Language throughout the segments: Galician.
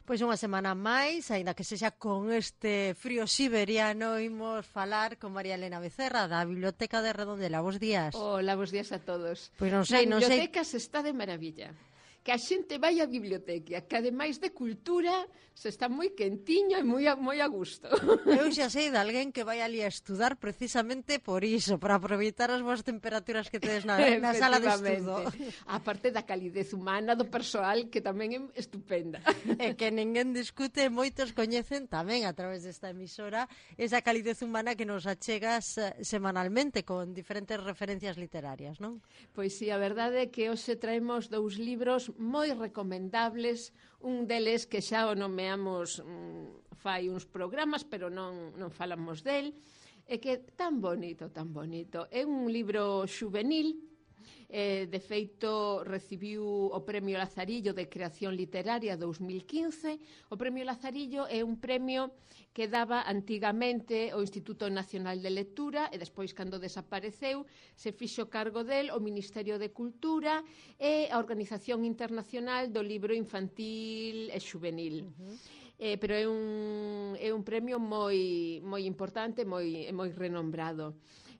Pois unha semana máis, aínda que sexa con este frío siberiano, imos falar con María Elena Becerra da Biblioteca de Redondela. Bos días. Hola, bos días a todos. Pois non Na sei. biblioteca se está de maravilla. Que a xente vai á biblioteca, que ademais de cultura se está moi quentiño e moi a gusto. Eu xa sei de alguén que vai ali a estudar precisamente por iso, para aproveitar as boas temperaturas que tedes na sala de estudo. A parte da calidez humana do persoal, que tamén é estupenda. E que ninguén discute, moitos coñecen tamén a través desta emisora esa calidez humana que nos achegas semanalmente con diferentes referencias literarias, non? Pois sí, a verdade é que hoxe traemos dous libros moi recomendables, un deles que xa o nomeamos fai uns programas, pero non falamos del, e que tan bonito, tan bonito. É un libro xuvenil, de feito recibiu o Premio Lazarillo de Creación Literaria 2015. O Premio Lazarillo é un premio que daba antigamente o Instituto Nacional de Lectura e despois, cando desapareceu, se fixo cargo del o Ministerio de Cultura e a Organización Internacional do Libro Infantil e Xuvenil. Pero é un premio moi importante, moi renombrado.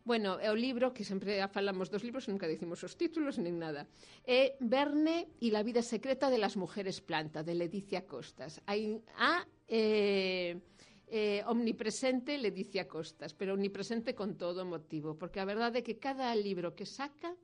Bueno, é o libro, que sempre falamos dos libros, nunca dicimos os títulos, nin nada. É Verne y la vida secreta de las mujeres planta, de Leticia Costas. Hai omnipresente Leticia Costas, pero omnipresente con todo motivo, porque a verdade é que cada libro que saca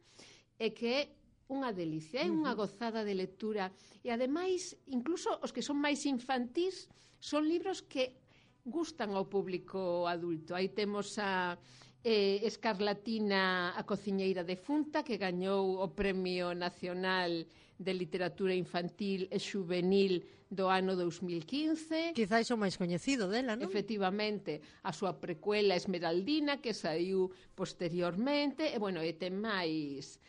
é que é unha delicia, é unha gozada de lectura. E ademais, incluso os que son máis infantís, son libros que gustan ao público adulto. Aí temos a Escarlatina, a cociñeira defunta, que gañou o Premio Nacional de Literatura Infantil e Xuvenil do ano 2015. Quizáis o máis coñecido dela, non? Efectivamente, a súa precuela Esmeraldina, que saiu posteriormente, e, bueno, e ten máis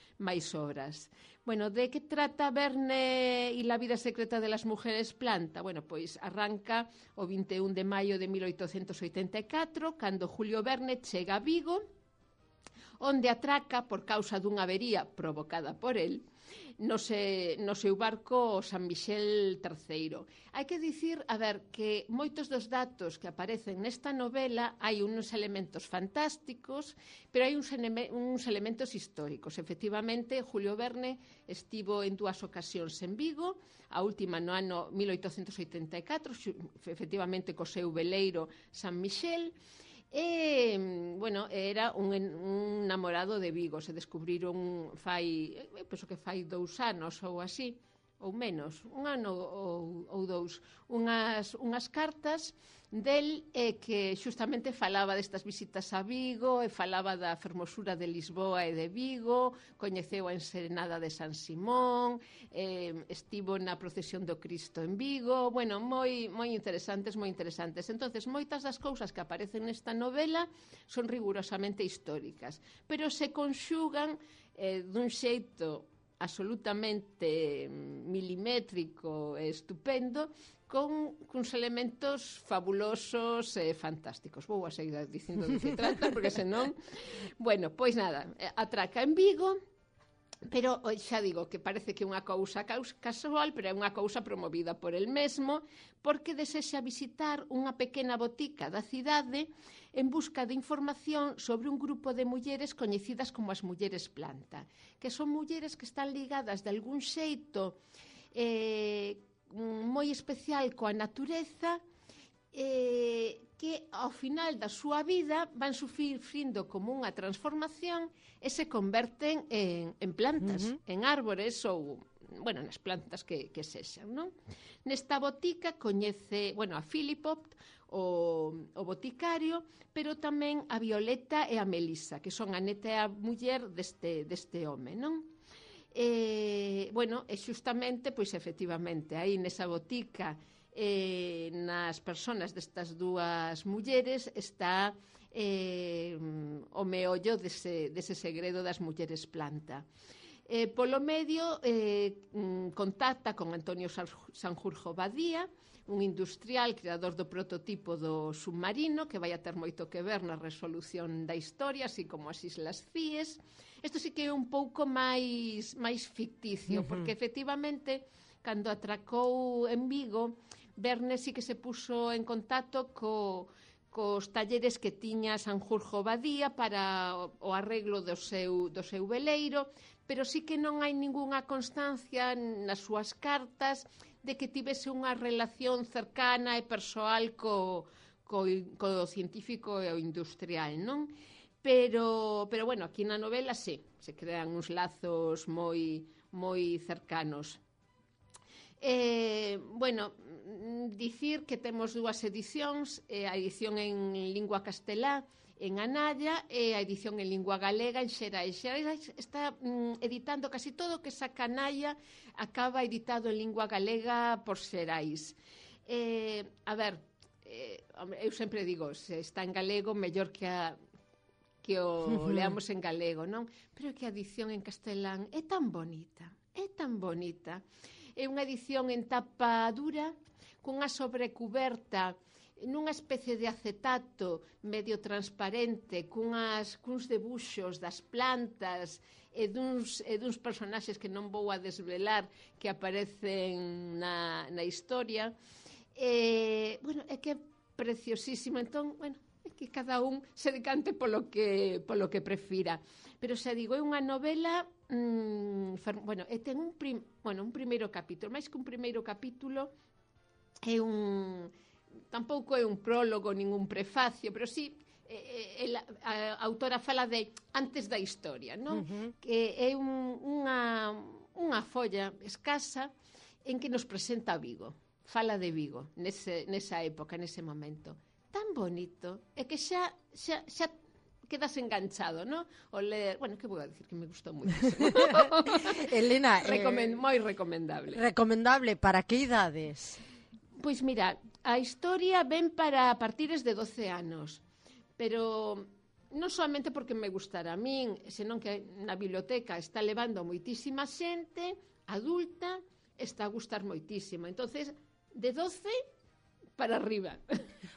obras. Bueno, de que trata Verne y la vida secreta de las mujeres planta? Bueno, pois arranca o 21 de maio de 1884, cando Julio Verne chega a Vigo, onde atraca por causa dunha avería provocada por el no seu barco San Miguel III. Hai que dicir, a ver, que moitos dos datos que aparecen nesta novela hai uns elementos fantásticos, pero hai uns elementos históricos. Efectivamente, Julio Verne estivo en 2 ocasións en Vigo, a última no ano 1884, efectivamente co seu veleiro San Miguel. E, bueno, era un namorado de Vigo. Se descubriron penso que fai 2 anos ou así, ou menos, un ano ou 2, unhas cartas del que xustamente falaba destas visitas a Vigo e falaba da fermosura de Lisboa e de Vigo, coñeceu a enserenada de San Simón, estivo na procesión do Cristo en Vigo. Bueno, moi interesantes, moi interesantes. Entonces, moitas das cousas que aparecen nesta novela son rigurosamente históricas, pero se conxugan dun xeito absolutamente milimétrico e estupendo, con uns elementos fabulosos e fantásticos. Vou a seguir dicindo de que trata, porque senón... Bueno, pois nada, atraca en Vigo, pero xa digo que parece que é unha cousa casual, pero é unha cousa promovida por el mesmo, porque desexa visitar unha pequena botica da cidade en busca de información sobre un grupo de mulleres coñecidas como as mulleres planta, que son mulleres que están ligadas de algún xeito moi especial coa natureza, que ao final da súa vida van sufrindo como unha transformación e se converten en plantas, en árbores ou, bueno, nas plantas que sexan, non? Nesta botica coñece, bueno, a Philipot, o boticario, pero tamén a Violeta e a Melisa, que son a neta e a muller deste home, non? Bueno, e xustamente, pois efectivamente, aí nesa botica, nas persoas destas 2 mulleres está o meollo dese segredo das mulleres planta. Polo medio contacta con Antonio Sanjurjo Badía, un industrial creador do prototipo do submarino, que vai a ter moito que ver na resolución da historia, así como as Islas Cíes. Isto sí que é un pouco máis ficticio, porque efectivamente, cando atracou en Vigo, Verne sí que se puso en contacto cos talleres que tiña Sanjurjo Badía para o arreglo do seu veleiro, pero sí que non hai ningunha constancia nas súas cartas de que tivese unha relación cercana e persoal co científico e o industrial, non? Pero bueno, aquí na novela sí, se crean uns lazos moi cercanos. Bueno, dicir que temos dúas edicións, a edición en lingua castelá en Analla e a edición en lingua galega en Xerais. Xerais está editando casi todo o que saca Analla, acaba editado en lingua galega por Xerais. A ver, eu sempre digo, se está en galego, mellor que o leamos en galego, non? Pero que a edición en castelán é tan bonita, é tan bonita. É unha edición en tapa dura, cunha sobrecuberta nunha especie de acetato medio transparente, cuns debuxos das plantas e duns personaxes que non vou a desvelar que aparecen na historia. Bueno, é que é preciosísimo. Entón, bueno, é que cada un se decante polo que prefira. Pero xa digo, é unha novela bueno, e ten un primeiro capítulo, máis que un primeiro capítulo, é tampouco é un prólogo, ningún prefacio, pero sí a autora fala de antes da historia, non? Que é unha folla escasa en que nos presenta Vigo, fala de Vigo nesa época, nese momento tan bonito, é que xa quedas enganchado, ¿no? O ler, bueno, que vou a decir que me gustou muchísimo. Elena, moi recomendable. Recomendable para que idades? Pois mira, a historia ven para partires de 12 anos, pero non solamente porque me gustara a min, senón que na biblioteca está levando moitísima xente adulta, está a gustar moitísimo. Entonces, de 12 para arriba.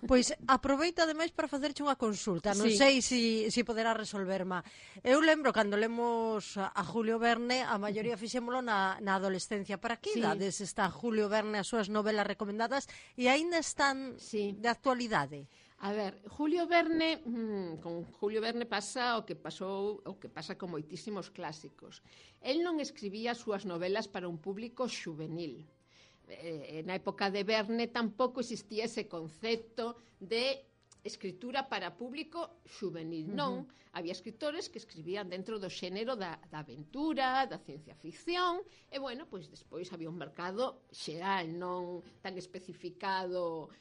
Pois aproveita ademais para facerche unha consulta. Non sei se poderá resolverma. Eu lembro cando lemos a Julio Verne, a maioría fixémolo na adolescencia. Para que idades está Julio Verne as súas novelas recomendadas e aínda están de actualidade? A ver, Julio Verne, con Julio Verne pasa o que pasa con moitísimos clásicos. El non escribía as súas novelas para un público xuvenil. Na época de Verne tampouco existía ese concepto de escritura para público xuvenil. Non, había escritores que escribían dentro do xénero da aventura, da ciencia ficción, e bueno, pois despois había un mercado xeral, non tan especificado,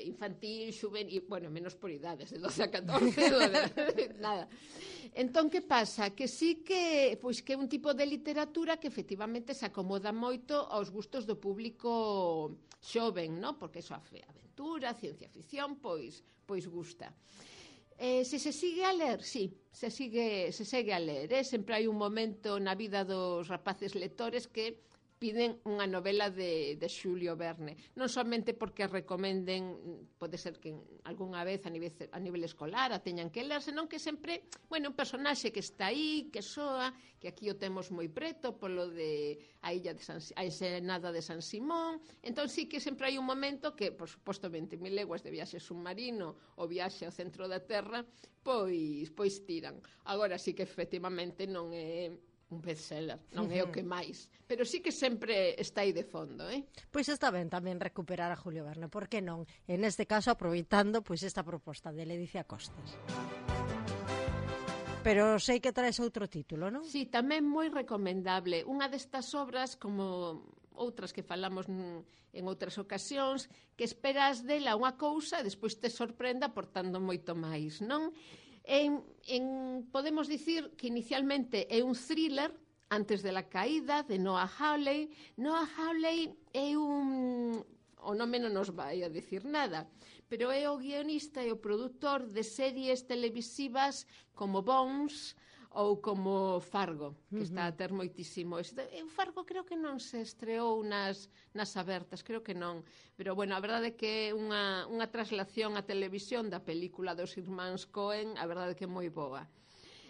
infantil, xuvenil, bueno, menos por idades, de 12 a 14, nada. Entón, que pasa? Que sí que é un tipo de literatura que efectivamente se acomoda moito aos gustos do público xoven, non? Porque eso, a aventura, a ciencia ficción, pois gusta. Se sigue a ler, sí, se segue a ler, sempre hai un momento na vida dos rapaces lectores que piden unha novela de Xulio Verne, non somente porque recomenden, pode ser que algunha vez a nivel escolar a teñan que ler, senón que sempre, bueno, un personaxe que está aí, que soa, que aquí o temos moi preto polo de a ensenada de San Simón. Entón sí que sempre hai un momento que, por suposto, 20.000 leguas de viaxe submarino ou viaxe ao centro da Terra, pois tiran. Agora sí que efectivamente non é un bestseller, non é o que máis, pero sí que sempre está aí de fondo, Pois está ben tamén recuperar a Julio Verne, por que non? En este caso aproveitando pois esta proposta de Ledicia Costas. Pero sei que traes outro título, non? Sí, tamén moi recomendable. Unha destas obras, como outras que falamos en outras ocasións, que esperas dela unha cousa e despois te sorprenda aportando moito máis, non? Podemos dicir que inicialmente é un thriller antes de la caída de Noah Hawley. Noah Hawley é o nome non nos vai a dicir nada, pero é o guionista e o produtor de series televisivas como Bones ou como Fargo, que está a ter moitísimo. O Fargo creo que non se estreou nas abertas, creo que non. Pero, bueno, a verdade é que é unha traslación á televisión da película dos irmáns Coen, a verdade é que é moi boa.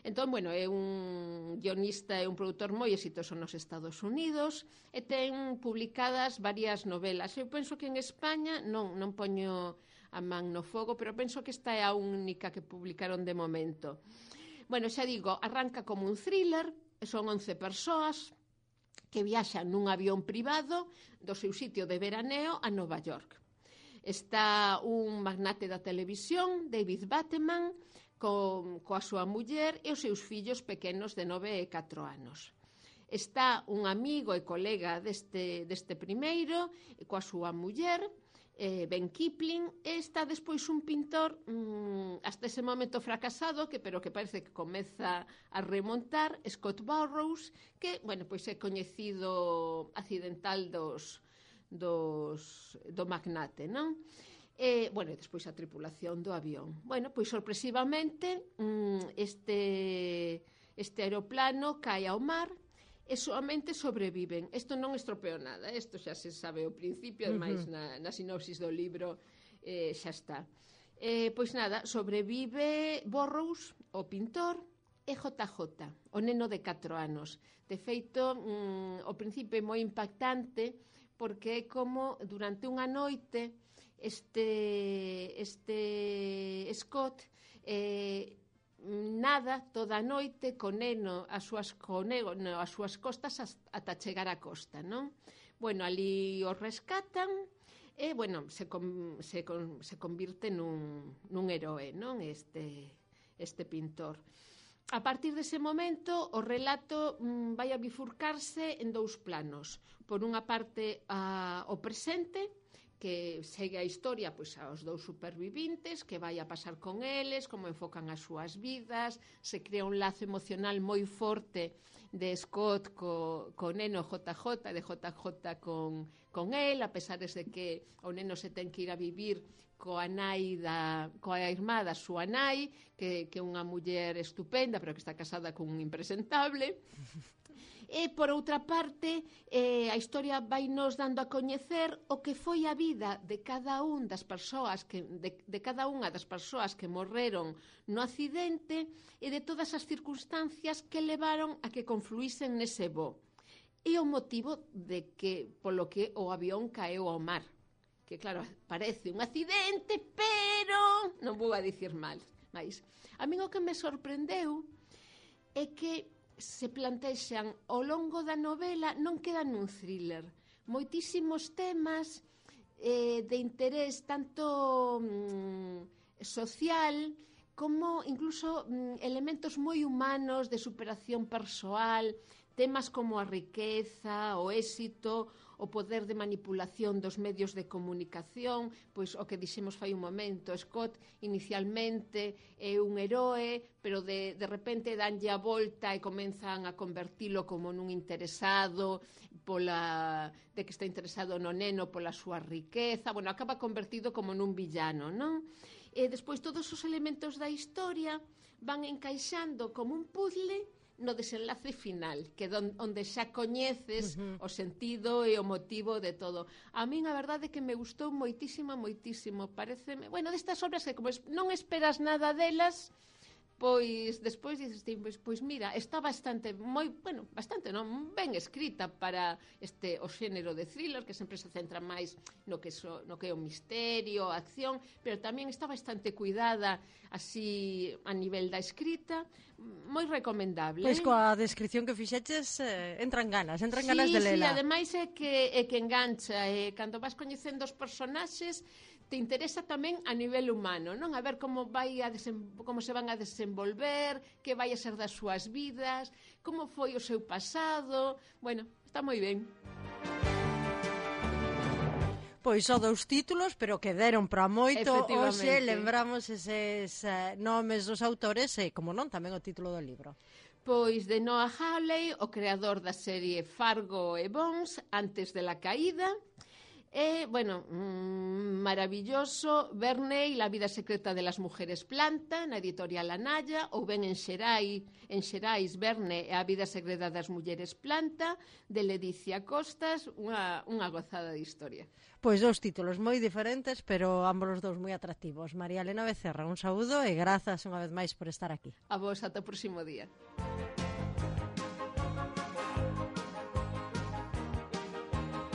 Entón, bueno, é un guionista e un produtor moi exitoso nos Estados Unidos e ten publicadas varias novelas. Eu penso que en España non poño a man no fogo, pero penso que esta é a única que publicaron de momento. Bueno, xa digo, arranca como un thriller, son 11 persoas que viaxan nun avión privado do seu sitio de veraneo a Nova York. Está un magnate da televisión, David Bateman, coa súa muller e os seus fillos pequenos de 9 e 4 anos. Está un amigo e colega deste primeiro, coa súa muller, Ben Kipling, e está despois un pintor hasta ese momento fracasado, pero que parece que comeza a remontar, Scott Burrows, que, bueno, pois é coñecido accidental do magnate, non? Bueno, e despois a tripulación do avión. Bueno, pois sorpresivamente este aeroplano cae ao mar e solamente sobreviven. Isto non estropeou nada, isto xa se sabe ao principio, ademais na sinopsis do libro xa está. Pois nada, sobrevive Burrows, o pintor, e JJ, o neno de 4 anos. De feito, ao principio é moi impactante porque é como durante unha noite este Scott nada toda a noite co neno as súas costas ata chegar á costa, non? Bueno, ali o rescatan e, bueno, se convirte nun heroe, non? Este pintor. A partir dese momento, o relato vai a bifurcarse en 2 planos. Por unha parte, o presente, que segue a historia pois aos 2 supervivintes, que vai a pasar con eles, como enfocan as súas vidas, se crea un lazo emocional moi forte de Scott co neno JJ, de JJ con el, a pesar de que o neno se ten que ir a vivir coa irmá da súa nai, que é unha muller estupenda, pero que está casada con un impresentable. E, por outra parte, a historia vai nos dando a coñecer o que foi a vida de cada unha das persoas que morreron no accidente e de todas as circunstancias que levaron a que confluísen nese voo. E o motivo polo que o avión caeu ao mar. Que, claro, parece un accidente, pero non vou a dicir mal. Mas a mí o que me sorprendeu é que se plantexan ao longo da novela, non quedan nun thriller. Moitísimos temas de interés tanto social como incluso elementos moi humanos de superación persoal, temas como a riqueza, o éxito, o poder de manipulación dos medios de comunicación, pois o que dixemos fai un momento, Scott inicialmente é un heroe, pero de repente danlle a volta e comenzan a convertilo como nun interesado, de que está interesado no neno pola súa riqueza, bueno, acaba convertido como nun villano, non? E despois todos os elementos da historia van encaixando como un puzzle no desenlace final, que onde xa coñeces o sentido e o motivo de todo. A min a verdade é que me gustou moitísimo, pareceme, bueno, destas obras que como non esperas nada delas, pois despois dices, pois mira, está bastante ben escrita para o xénero de thriller, que sempre se centra máis no que é o misterio, a acción, pero tamén está bastante cuidada así a nivel da escrita, moi recomendable. Pois coa descripción que fixeches entran ganas de lela. Sí, ademais é que engancha, cando vas coñecendo os personaxes te interesa tamén a nivel humano, non? A ver como se van a desenvolver, que vai a ser das súas vidas, como foi o seu pasado. Bueno, está moi ben. Pois só 2 títulos, pero que deron para moito. Hoxe lembramos eses nomes dos autores e, como non, tamén o título do libro. Pois de Noah Hawley, o creador da serie Fargo e Bones, Antes de la caída. Bueno, maravilloso, Verne y la vida secreta de las mujeres planta, na editorial Anaya, ou ben en Xerais, Verne e a vida secreta das mulleres planta, de Ledicia Costas, unha gozada de historia. Pois dous títulos moi diferentes, pero ambos os dous moi atractivos. María Elena Becerra, un saúdo e grazas unha vez máis por estar aquí. A vos, ata o próximo día.